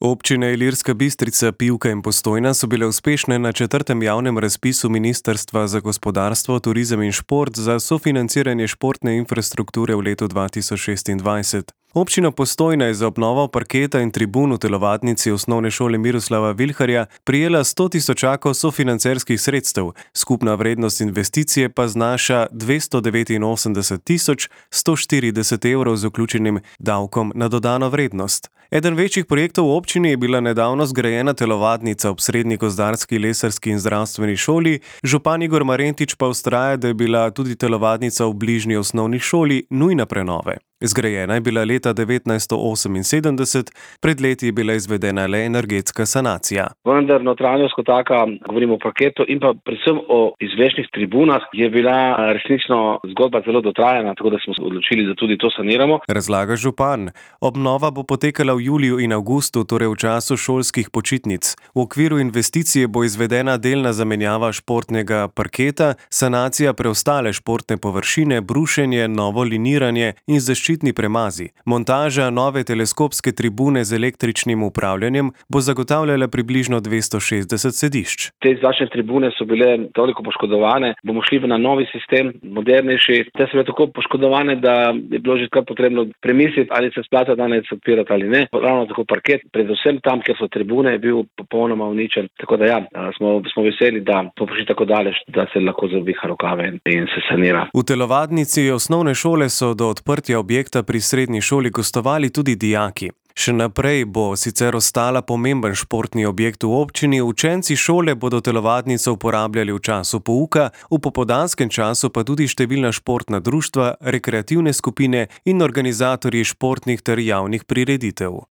Občine Ilirska Bistrica, Pivka in Postojna so bile uspešne na četrtem javnem razpisu Ministrstva za gospodarstvo, turizem in šport za sofinanciranje športne infrastrukture v letu 2026. Občina Postojna je za obnovo parketa in tribun v telovadnici osnovne šole Miroslava Vilharja prijela 100 tisočakov sofinancerskih sredstev, skupna vrednost investicije pa znaša 289.140 evrov z vključenim davkom na dodano vrednost. Eden večjih projektov v občini je bila nedavno zgrajena telovadnica ob srednji gozdarski, lesarski in zdravstveni šoli, župan Igor Marentič pa vztraja, da je bila tudi telovadnica v bližnji osnovni šoli nujna prenove. Zgrajena je bila leta 1978, pred leti je bila izvedena le energetska sanacija. Vendar notranjost kot taka, govorimo o parketu in pa predvsem o izvešnih tribunah, je bila resnično zgodba zelo dotrajana, tako da smo se odločili, da tudi to saniramo. Razlaga župan. Obnova bo potekala v juliju in avgustu, torej v času šolskih počitnic. V okviru investicije bo izvedena delna zamenjava športnega parketa, sanacija preostale športne površine, brušenje, novo liniranje in zaščitni premazi. Montaža nove teleskopske tribune z električnim upravljanjem bo zagotavljala približno 260 sedišč. Te zračne tribune so bile toliko poškodovane, bomo šli na novi sistem, modernejši. Te so bile tako poškodovane, da je bilo že kar potrebno premisliti, ali se splata danes odpirati ali ne. Ravno tako parket, predvsem tam, kjer so tribune, je bil popolnoma uničen. Tako da smo veseli, da to prišli tako daleč, da se lahko zaviha rokave in se sanira. V telovadnici osnovne šole so do odprtja objekta pri srednji šoli gostovali tudi dijaki. Še naprej bo sicer ostala pomemben športni objekt v občini, učenci šole bodo telovadnico uporabljali v času pouka, v popoldanskem času pa tudi številna športna društva, rekreativne skupine in organizatorji športnih ter javnih prireditev.